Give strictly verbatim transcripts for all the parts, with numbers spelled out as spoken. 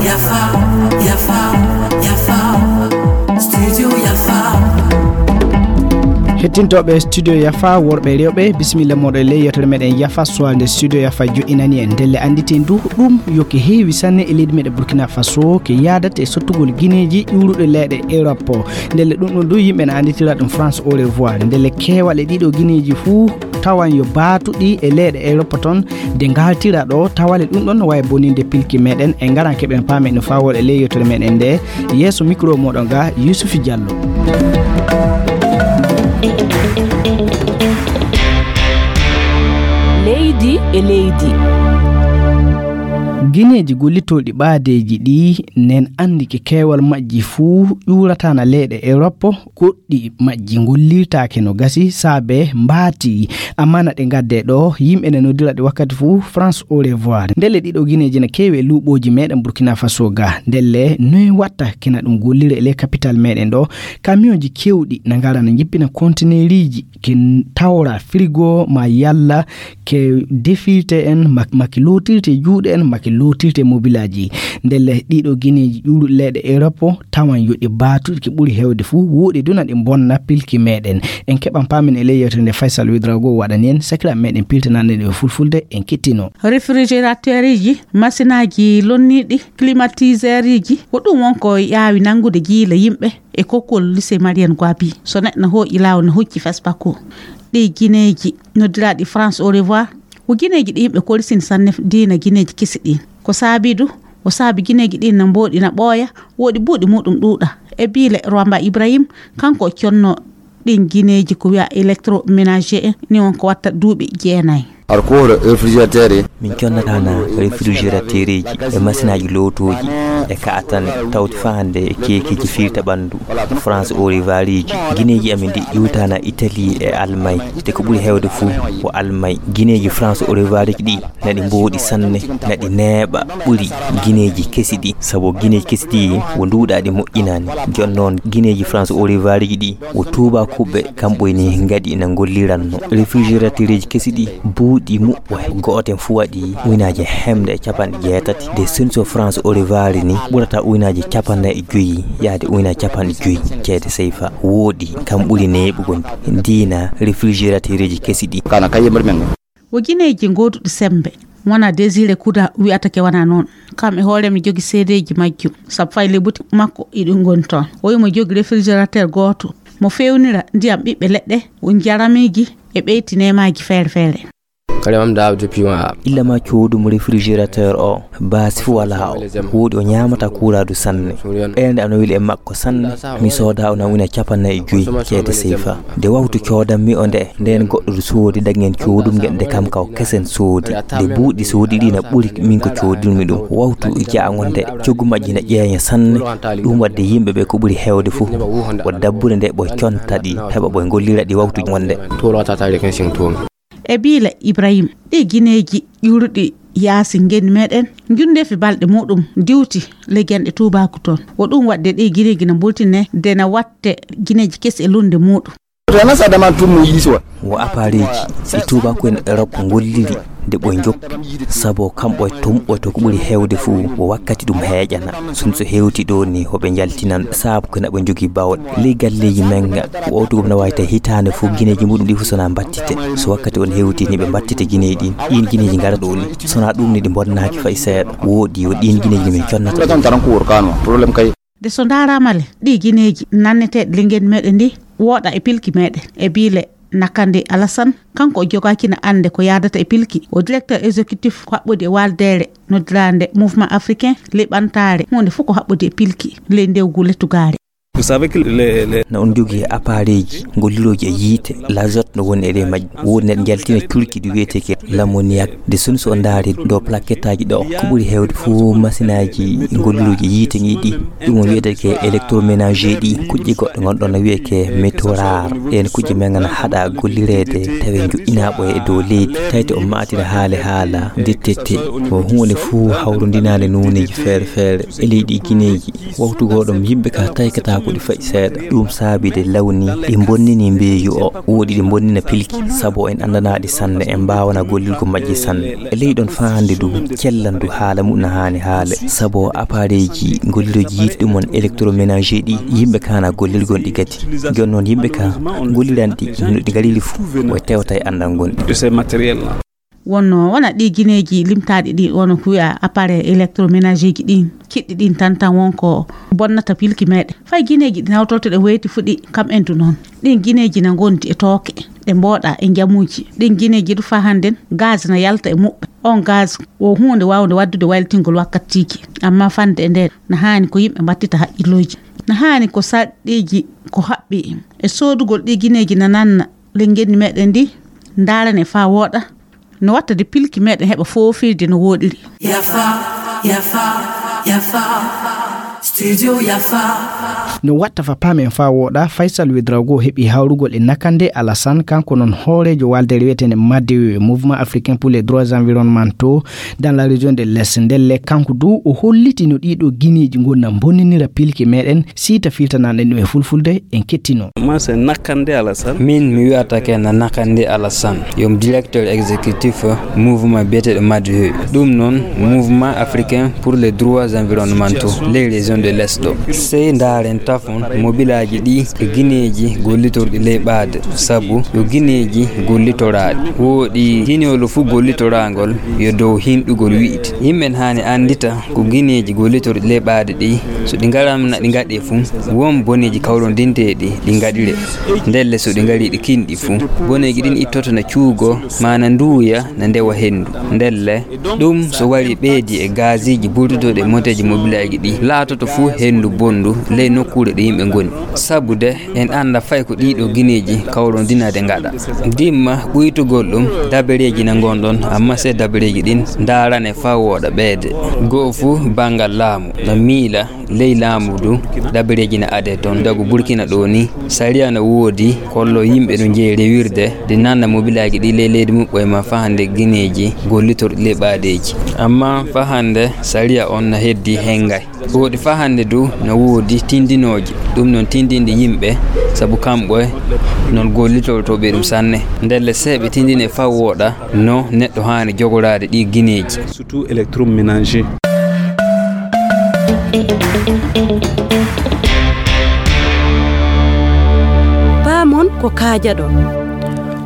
Yafa, Yafa, Yafa, Studio Yafa. Hettintooɓe Studio Yafa, worɓe e rewɓe, bisimilla mooɗon e ley yewtere meɗen Yafa, suwalnde Studio Yafa joɗɗinani en. Ndelle annditen du ɗum yo ke heewi sanne e leydi meɗen Burkina Faso, ke yaadata e sottugol gineeji ƴuuruɗe leyɗe Europe. Ndelle ɗum ɗon du yimɓe na annditira ɗum France au revoir. Ndelle keewal e ɗiɗo gineeji fuu tawan yo baatuɗi e leyɗe Europe toon, de ngaltira ɗo tawale ɗum ɗon no wawi boninde pilki meɗen. En ngaran keɓen paamen no fawol e ley yewtere meɗen nde. Yeeso micro moɗon ga Yusufi Diallo. Leydi e leydi. Gineeji gollitooɗi ɓaadeeji ɗi nen anndi ke keewal majji fuu ƴuuratana leyɗe Europe, goɗɗi majji ngollirtaake no gasi saabe mbaati. Amana ɗe ngadde ɗo, yimɓe ne noddira ɗi wakkati fuu France au revoir. Ndelle ɗiɗo gineeji na keewi e luuɓooji meɗen Burkina Faso ga. Ndelle noy watta kina ɗum gollira e ley capital meɗen ɗo? Kamiyonji kewɗi na ngara na njippina konteneeriji ke tawra frigo ma yalla ke defirte en, ma, ma ke lootirte juuɗe en, ma ke lootirte mobilaaji. Ndelle ɗiɗo gineeji ƴuuruɗi leyɗe Europe tawan yo ɗi baatu ki ɓuri heewde fuu, woɗi duna ɗi bonna pilki meɗen. En keɓan paamen e ley yewtere nde Faysal Widrago waɗani en, sakiraaɓe meɗen piltanande ɗe e fulfulde, en kettino. Réfrigérateurji, masinaaji lonniiɗi, climatiseuruji, ko ɗum won ko yaawi nanngude jiila yimɓe e kokkol lycée Marienne Gouaby. So neɗɗo na hooƴi laawol, na hucci Fespaco. Ɗi gineeji noddiraaɗi France au revoir, ko gineeji ɗi yimɓe korsini sanne diina gineeji kesi ɗin. Ko saabi du, o saabi gineeji ɗin na mbooɗi, na ɓooya, woɗi buuɗi muɗum ɗuuɗa. E biile Rwamba Ibrahim, kanko o conno ɗin gineeji ko wiya électroménager en, ni won ko watta duuɓi jeenayi. Alkohol, réfrigérateur. Min connatana réfrigérateur eji e masinaaji lootooji e kaatane tawti faa hannde e keekeeji firta ɓanndu. France au revoir eji. Gineeji amin ɗi ƴuwtana Italie e Allemagne. Te ko ɓuri heewde fuu ko Allemagne. Gineeji France au revoir eji ɗi naɗi mbooɗi sanne, naɗi neeɓa ɓuri gineeji kesi ɗi. Sabu gineeji kesi ɗi wo nduuɗaaɗi moƴƴinaani. Jooni noon gineeji France au revoir eji ɗi wo tuubaakuɓe kamɓe ni ngaɗi na ngolliranno. Réfrigérateur eji kesi ɗi buuɗi muɓɓo gooten fuu waɗi uynaaje hemde e capanɗe jeetati. De solution France au revoir ni ɓurata uynaaje capanɗe e joyi yaade uynaaje capanɗe joyi ceede seyfa. Wooɗi kam ɓuri neeɓugol diina réfrigérateur eji kesi ɗi. Kana kaye mbar men. Wo gineeji gooduɗi semmbe. Wona Désiré Kuda wiyata ke wona noon. Kam e hoore mi jogi seedeeji majjum. Sabu fay le buti makko iɗi ngoni toon. O wimo jogi réfrigérateur gooto. Mo fewnira ndiyam ɓiɓɓe leɗɗe, o njaramiiji e ɓeyti neemaaji feere feere. Kadi mam da depuis ma. Illa ma coodum réfrigérateur o, baasi fu wala o. Wooɗi o ñaamata kuuraadu sanne. Ɓeynde ano weli e makko sanne. Mi sooda o na wina capanɗe e joyi ceede seyfa. Nde wawtu coodanmi o nde, ndeen goɗɗo du soodi dagen coodum ngen nde kam kaw kesen soodi. Nde buuɗi soodi ɗi na ɓuri min ko coodinmi ɗum. Wawtu jaango nde, coggu majji na ƴeeña sanne. Ɗum wadde yimɓe ɓe ko ɓuri heewde fof. Wo dabbude nde ɓoy conta ɗi, heɓa ɓoy ngollira ɗi wawtu wonde. Tuuro tata rekin sing tuumi. E biile Ibrahim, ɗi gineeji ƴuuruɗi yaasi ngenndi meɗen, njundeefi balɗe muɗum diwti ley genɗe tuubaaku toon. Wo ɗum waɗde ɗi gineeji na mbultine de na watte gineeji kesi e lunde muɗum. Rana sa daman tum mo yisi wa. Wo apareeji ɗi tuubaaku en Europe ngolliri de ɓoy njoppi, sabo kamɓe tumɓoto ko ɓuri heewde fof wo wakkati ɗum heeƴana. Sun so hewti ɗo ni hoɓe njaltinan saabu ko naɓe njogii bawɗe. Ley galleeji men ga, ko owtu gom na wawi tawi hitaande fof gineeji muɗum ɗi fof sona mbattite. So wakkati on hewti ni ɓe mbattite gineeji ɗin. Ɗin gineeji ngara ɗo ni. Sona ɗum ni ɗi bonnaaki fay seeɗa. Wooɗi yo ɗin gineeji ni min connata. Ɗo tan taran ko wor kano, problème kay. De so ndaaraama le, ɗi gineeji nanneteeɗi ley ngenndi meɗen ndi, wooɗa e pilki meɗen. E biile Nakande Alassane, kanko o jogaaki na annde ko yaadata e pilki. O directeur exécutif ko haɓɓodi e waaldeere noddiraande Mouvement Africain, ley ɓantaare, huunde fof ko haɓɓodi e pilki, ley ndewgu lettugaare. Vous savez que les, les... Na on jogii apareeji, ngollirooji e yiite, l'azote no woni e ley majji. Woodi neɗɗo njaltina cuurki ɗi wiyetee ke l'ammoniac. De sun so on ndaari ɗo plaquettaaji ɗo, ko ɓuri heewde fof masinaaji ngollirooji e yiite ngi ɗi. Ɗum o wiyetee ke électroménager ɗi, kuƴƴe goɗɗo ngonɗon no wiyee ke métaux rares. Ɗeen kuƴƴe men ngana haɗa gollireede, tawi njoƴƴinaaɓo e dow leydi. Tayti o maatina haale haala, ndettete. Ko huunde fof hawrondinaande nooneeji feere feere. E leydi gineeji, wawtu gooɗom yimɓe ka taykata Ko ɗi faƴi seeɗa. Ɗum saabi de lawni ɗi bonnini mbeeyu o. Woɗi ɗi bonnina pilki, sabu en anndanaa ɗi sanne, en mbaawana gollirgo majji sanne. E ley ɗon faa hannde du, cellandu haala mum na haani haale, sabu appareil ji gollirooji yiite ɗum on électroménager ɗi, yimɓe ka na gollirgon ɗi gati. Jooni noon yimɓe ka golliran ɗi, no ɗi ngariri fuu, o tewta e anndal ngon ɗi. De ces matériels-là. Wonno wona ɗi gineeji limtaaɗi ɗi, wonno ko wiya appareil électroménager ji ɗin, kiɗɗi ɗin tan tan won ko bonnata pilki meɗen. Fay gineeji ɗi nawtortoɗen weyti fuɗi kam en du noon. Ɗin gineeji na ngondi e tooke, ɗe mbooɗa e njamuuji. Ɗin gineeji du faa hannden gaz na yalta e muɓɓe. On gaz wo huunde waawnde waɗdude wayltingol wakkatiiji. Amma fande e nden, na haani ko yimɓe mbattita haqqillooji. Na haani ko sarɗiiji ko haɓɓi e soodugol ɗi gineeji na nanna ley ngenndi meɗen ndi, ndaarane faa wooɗa. No watta de pilki meɗen heɓa foofirde no wooɗiri. Yafa, yafa, yafa. Studio Yafa. No watta fa paamen faa wooɗa, Faisal Ouedraogo heɓi hawrugol e Nakande Alassane, kanko noon hooreejo waldere wiyeteende MADEO, Mouvement Africain pour les Droits Environnementaux, dans la région de l'Est. Ndelle kanko du o holliti no ɗiɗo gineeji ngonna bonninira pilki meɗen, siita filtanaaɗen ɗum e fulfulde, en kettino. Moi, c'est Nakande Alassane. Min mi wiyata ke na Nakande Alassane, yo mi directeur exécutif mouvement biyeteeɗo MADEO. Ɗum noon, Mouvement Africain pour les Droits Environnementaux, les régions de l'Est ɗo. Sey ndaaren tafon mobilaaji ɗi e gineeji gollitorɗi ley ɓaade, sabu yo gineeji gollitoraaɗi. Wooɗi ginewol fuu gollitoraangol yo dow hinɗugol wi'ite. Yimɓe haani anndita ko gineeji gollitorɗi ley ɓaade ɗi, so ɗi ngaramna ɗi ngaɗee fuu, won boneeji kawrondinteeɗi ɗi ngaɗiree. Ndelle so ɗi ngarii ɗi kinɗi fuu, boneeji ɗin ittoto na cuugo, maa na nduuya, na ndewa henndu. Ndelle, ɗum so warii ɓeydii e gaasiiji burtotooɗi e moteeji mobilaaji ɗi, laatoto fuu henndu bonndu ley nokkuure ɗo yimɓe ngoni. Sabu de, en annda fay ko ɗiɗo gineeji kawrondinaade ngaɗa. Dimma ɓuytugol ɗum, dabareeji na ngon ɗon, amma sey dabareeji ɗin ndaarane faa wooɗa ɓeyde. Go'o fuu banngal laamu na miila ley laamu du, dabareeji na adee ton. Dagu Burkina ɗo ni, sariya na woodi, kollo yimɓe no njeyi rewirde, de nanna mobilaaji ɗi ley leydi muɓɓoye ma faa hannde gineeji gollitorɗi ley ɓaadeeji. Amma faa hannde sariya on na heddii hengay. Woodi faa hannde du na woodi tindinooji, ɗum noon tindinde yimɓe, sabu kamɓe noon gollitotooɓe ɗum sanne. Ndelle sey ɓe tindine faa wooɗa no neɗɗo haani jogoraade ɗi gineeji. Surtout électroménager. Paamon ko kaajaɗon.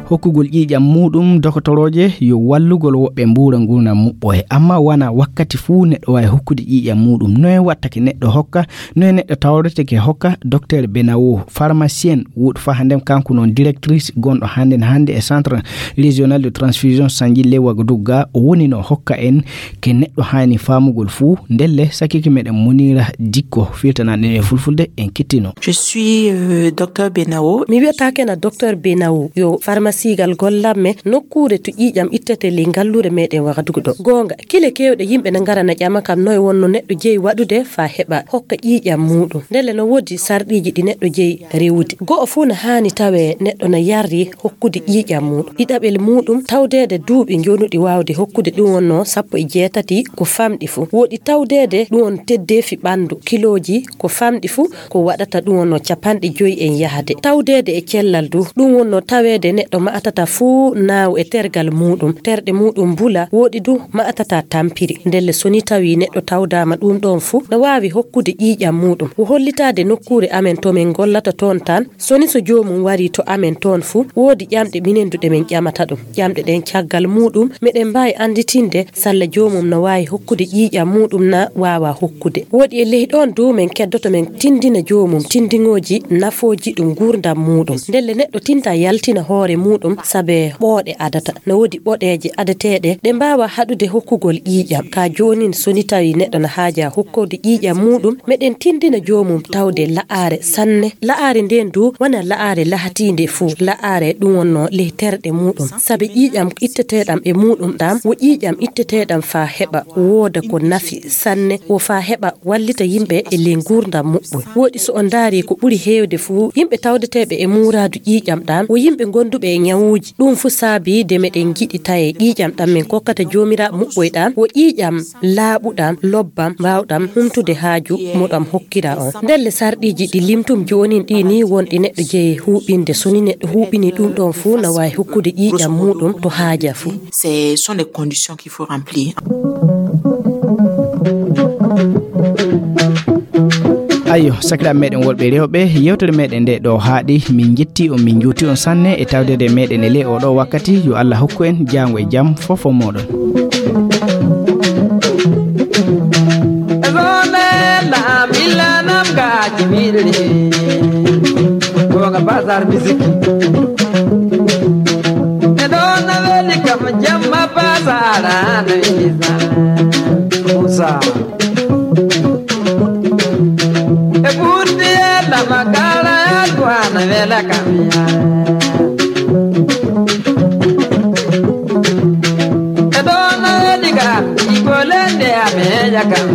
Hokkugol ƴiiƴam muuɗum dokotorooje yo wallugol woɓɓe mbuura nguurndam muɓɓoye, amma wona wakkati fuu neɗɗo waawi hokkude ƴiiƴam muuɗum. Noye wattake neɗɗo hokka? Noye neɗɗo tawreteke hokka? Docteur Benawo, pharmacienne, wuuɗo faa hannden, kanko noon directrice gonɗo hannden hannde e Centre Régional de Transfusion Sanguine ley Ouagadougou ga, o woni no hokka en ke neɗɗo haani faamugol fuu. Ndelle, sakike meɗen Munira Dikko, firtanaaɗo en e fulfulde, en kettino. Je suis, euh, docteur Benao. Mi wiyata kena docteur Benao, yo pharmacie gal gollanmi nokkuure to ƴiiƴam ittete ley ngalluure meɗen Wagadugu ɗo. Goonga, kile keewɗe yimɓe na ngara na ƴama kam noye wonno neɗɗo jeyi waɗude faa heɓa hokka ƴiiƴam muuɗum. Ndelle no woodi sarɗiiji ɗi neɗɗo jeyi rewude. Go'o fuu na haani tawe neɗɗo na yarri hokkude ƴiiƴam muuɗum. Ɗiɗaɓel muuɗum, tawdeede duuɓi njonuɗi waawde hokkude ɗum wonno sappo e jeetati ko famɗi fuu. Woodi tawdeede ɗum won teddeefi ɓanndu, kilooji ko famɗi fuu ko waɗata ɗum wonno capanɗe joyi en yahde. Tawdeede e cellal du, ɗum wonno taweede neɗɗo ma'atata fuu naaw e tergal muuɗum, terɗe muuɗum mbula, woodi du ma'atata tampiri. Ndelle so ni tawi neɗɗo tawdaama ɗum ɗoon fuu, na waawi hokkude ƴiiƴam muuɗum. Wo hollitaade nokkuure amen to min ngollata toon tan, so ni so joomum warii to amen toon fuu, woodi ƴamɗe minen du ɗe min ƴamata ɗum. Ƴamɗe ɗeen caggal muuɗum, meɗen mbaawi annditinde salla joomum no waawi hokkude ƴiiƴam muuɗum na waawaa hokkude. Woodi e ley ɗoon du min keddoto min tinndina joomum tinndingooji nafooji ɗum nguurndam muuɗum. Ndelle neɗɗo tinta yaltina hoore muuɗum saabe ɓooɗe adata. No woodi ɓoɗeeje adeteeɗe ɗe mbaawaa haɗude hokkugol ƴiiƴam. Ka joonin so ni tawi neɗɗo na haajaa hokkude ƴiiƴam muuɗum, meɗen tinndina joomum tawde la'aare sanne. La'aare ndeen du wona la'aare lahatiinde fuu. La'aare ɗum wonno ley terɗe muuɗum. Saabe ƴiiƴam itteteeɗam e muuɗum ɗam, wo ƴiiƴam itteteeɗam faa heɓa wooda ko nafi sanne, wo faa heɓa wallita yimɓe e ley nguurndam muɓɓoy. Woodi so on ndaari ko ɓuri heewde fuu, yimɓe tawdeteeɓe e muuraadu ƴiiƴam ɗam, wo yimɓe gonduɓe e Ñawuuji. Ɗum fuu saabii de meɗen njiɗi taye ƴiiƴam ɗam min kokkata Joomiraaɗo muɓɓoyɗam, wo ƴiiƴam laaɓuɗam, lobbam, mbaawɗam humtude haaju mo ɗam hokkira on. Ndelle sarɗiiji ɗi limtum joonin ɗi ni wonɗi neɗɗo jeyi huuɓinde. So ni neɗɗo huuɓini ɗum ɗon fuu, na waawi hokkude ƴiiƴam muuɗum to haaja fuu. Ce sont les conditions qu'il faut remplir. Ayyo, sakiraaɓe meɗen worɓe e rewɓe, yewtere meɗen nde ɗo haaɗi. Min njetti on, min njuuti on sanne e tawdede meɗen e ley oɗo wakkati. Yo Allah hokku en jaango e jam fof o moɗon. Zone la milanam ga jibiri. Ko ga bazar musique. E ɗo na weli kam jamma bazar na isa. Musa. E ɓurdi e lama kala e duwana wela kam ya. E ɗo na weli ga igolende ameya kam.